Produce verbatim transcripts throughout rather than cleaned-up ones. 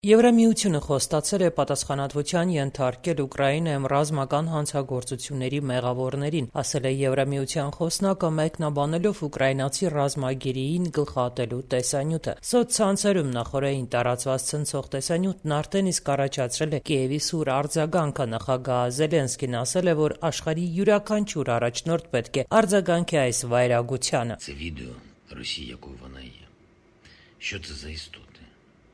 Եվրամիությունը խոստացել է պատասխանատվության ենթարկել Ուկրաինայում ռազմական հանցագործությունների մեղավորներին, ասել է Եվրամիության խոսնակը, մեկնաբանելով ուկրաինացի ռազմագերիին գլխատելու տեսանյութը։ Սոցցանցերում նախօրեին տարածված ցնցող տեսանյութն արդեն իսկ առաջացրել է Կիևի սուր արձագանքը։ Նախագահ Զելենսկին ասել է, որ աշխարհի յուրաքանչյուր առաջնորդ պետք է արձագանքի այս վայրագությանը։ Це відео Росії, якою вона є. Що це за істоти?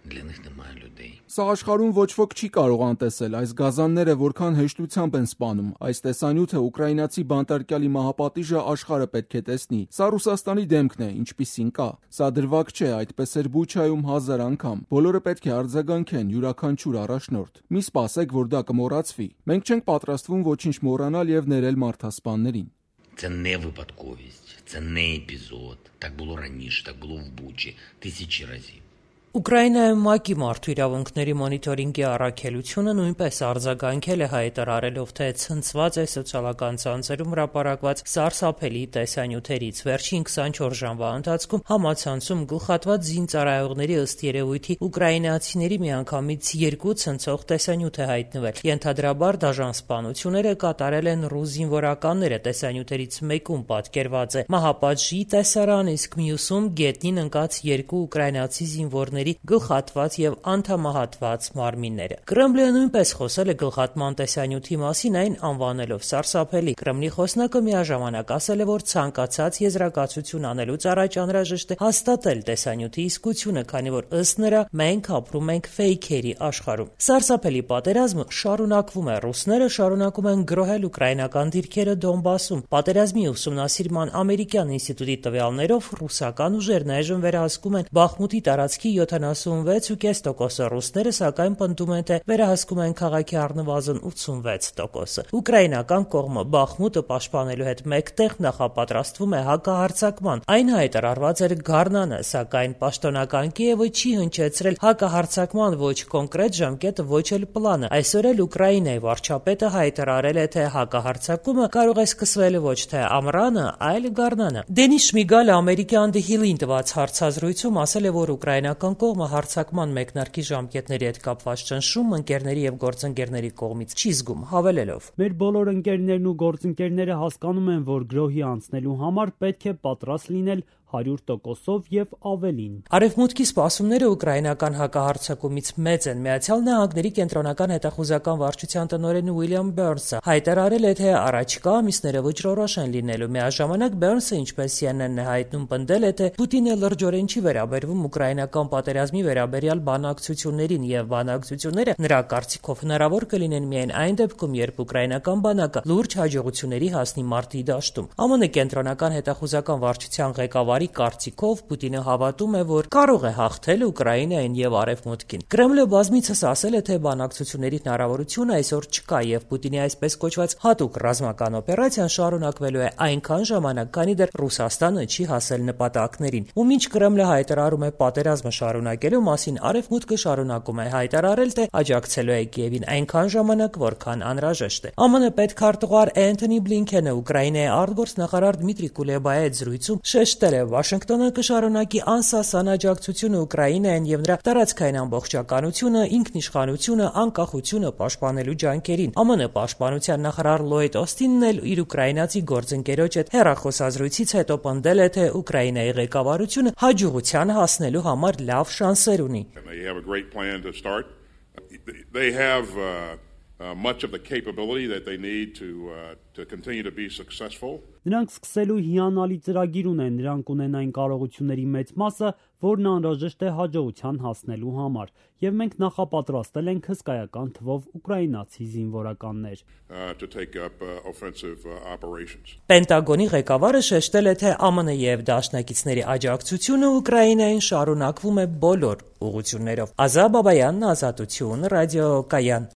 Для них немає людей. Սա աշխարհում ոչ ոք չի կարող անտեսել, այս գազանները որքան հեշտությամբ են սպանում։ Այս տեսանյութը ուկրաինացի բանտարկյալի մահապատիժը աշխարհը պետք է տեսնի։ Սա Ռուսաստանի դեմքն է, ինչպիսին կա։ Սա դրվագ չէ, այդպես էր Բուչայում հազար անգամ։ Բոլորը պետք է արձագանքեն, յուրաքանչյուր առաջնորդ։ Մի սպասեք, որ դա կմոռացվի։ Մենք չենք պատրաստվում ոչինչ մոռանալ եւ ներել մարդասպաններին։ Це не випадковість, це не епізод. Так було раніше, так було в Бучі тисячі разів. Ուկրաինայում ՄԱԿ-ի մարդու իրավունքների մոնիտորինգի առաքելությունը նույնպես արձագանքել է, հայտարարելով, թե ցնցված է սոցիալական ցանցերում հրապարակված սարսափելի տեսանյութերից։ Վերջին քսանչորս ժամվա ընթացքում համացանցում գլխատված զինծառայողների ըստ երևույթի ուկրաինացիների միանգամից երկու ցնցող տեսանյութ է հայտնվել։ Ենթադրաբար դաժան սպանությունները կատարել են ռուս զինվորականները։ Տեսանյութերից մեկում պատկերված է մահապատժի տեսարան, իսկ մյուսում գետնին ընկած երկու ուկրաինացի զինվորների գլխատված եւ անդամահատված մարմինները։ Կրեմլը նույնպես խոսել է գլխատման տեսանյութի մասին, այն անվանելով սարսափելի։ Կրեմլի խոսնակը միաժամանակ ասել է, որ ցանկացած եզրակացություն անելուց առաջ անհրաժեշտ է հաստատել տեսանյութի իսկությունը, քանի որ ըստ նրա մենք ապրում ենք ֆեյքերի աշխարհում։ Սարսափելի պատերազմը շարունակվում է։ Ռուսները շարունակում են գրոհել ուկրաինական դիրքերը Դոնբասում։ Պատերազմի ուսումնասիրման ամերիկյան ինստիտուտի տվյալներով ռուսական ուժերն այժմ վերահսկում են Բախմուտի տարածքի յոթանասունվեց ու կես տոկոսը, ռուսները սակայն պնդում են, թե վերահսկում են քաղաքի առնվազն ութսունվեց տոկոսը։ Ուկրաինական կողմը Բախմուտը պաշտպանելու հետ մեկտեղ նախապատրաստվում է հակահարձակման։ Այն հայտարարված էր գարնանը, սակայն պաշտոնական Կիևը չի հնչեցրել հակահարձակման ոչ կոնկրետ ժամկետը, ոչ էլ պլանը։ Այսօր էլ Ուկրաինայի վարչապետը հայտարարել է, թե հակահարձակումը կարող է սկսվել ոչ թե ամռանը, այլ գարնանը։ Դենիս Շմիգալը ամերիկյան The Hill-ին տված հարցազրույցում ասել է, որ ուկրաինական կողմը հարձակման մեկնարկի ժամկետների հետ կապված ճնշում ընկերների եւ գործընկերների կողմից չի զգում, հավելելով. Մեր բոլոր ընկերներն ու գործընկերները հասկանում են, որ գրոհի անցնելու համար պետք է պատրաստ լինել հարյուր տոկոսով եւ ավելին։ Արևմուտքի սպասումները ուկրաինական հակահարձակումից մեծ են։ Միացյալ Նահանգների կենտրոնական հետախուզական վարչության տնօրեն Ուիլյամ Բերնսը հայտարարել է, թե առաջիկա ամիսները վճռորոշ են լինելու։ Միաժամանակ Բերնսը, ինչպես C N N-ն է հայտնում, պնդել է, թե Պուտինը լրջորեն չի վերաբերվում ուկրաինական պատերազմի վերաբերյալ բանակցություններին եւ բանակցությունները նրա կարծիքով հնարավոր կլինեն միայն այն դեպքում, երբ ուկրաինական բանակը լուրջ հաջողությունների հասնի մարտի դաշտում։ Ամն կենտրոնական հետախուզական վարչության ղեկավարի կարծիքով Պուտինը հավատում է, որ կարող է հաղթել Ուկրաինային եւ Արևմուտքին։ Կրեմլը բազմիցս ասել է, թե բանակցությունների հնարավորություն այսօր չկա եւ Պուտինի այսպես կոչված հատուկ ռազմական օպերացիան շարունակվելու է այնքան ժամանակ, քանի դեռ Ռուսաստանը չի հասել նպատակներին։ Ու մինչ Կրեմլը հայտարարում է պատերազմը շարունակելու մասին, Արևմուտքը շարունակում է հայտարարել, թե աջակցելու է Կիևին այնքան ժամանակ, որքան անհրաժեշտ է։ ԱՄՆ պետքարտուղար Էնթոնի Բլինքենը Ուկրաինայի արտգործնախարար Դմիտրի Կուլեբայի հետ զրույցում շեշտել է, Վաշինգտոնը կշարունակի անսասան աջակցությունը Ուկրաինային եւ նրա տարածքային ամբողջականությունը, ինքնիշխանությունը, անկախությունը պաշտպանելու ջանքերին։ ԱՄՆ պաշտպանության նախարար Լոյդ Օստինն էլ իր ուկրաինացի գործընկերոջ հետ հեռախոսազրույցից հետո պնդել է, թե Ուկրաինայի ղեկավարությունը հաջողության հասնելու համար լավ շանսեր ունի։ They have uh, uh, much of the capability that they need to uh, to continue to be successful. Նրանք սկսելու հիանալի ծրագիր ունեն, նրանք ունեն այն կարողությունների մեծ մասը, որն անհրաժեշտ է հաջողության հասնելու համար, եւ մենք նախապատրաստել ենք հսկայական թվով ուկրաինացի զինվորականներ։ To take up uh, offensive uh, operations. Պենտագոնի ղեկավարը շեշտել է, թե ԱՄՆ եւ դաշնակիցների աջակցությունը Ուկրաինային շարունակվում է բոլոր ուղղություններով։ Ազա Բաբայանն, Ազատություն, ռադիո Կայան։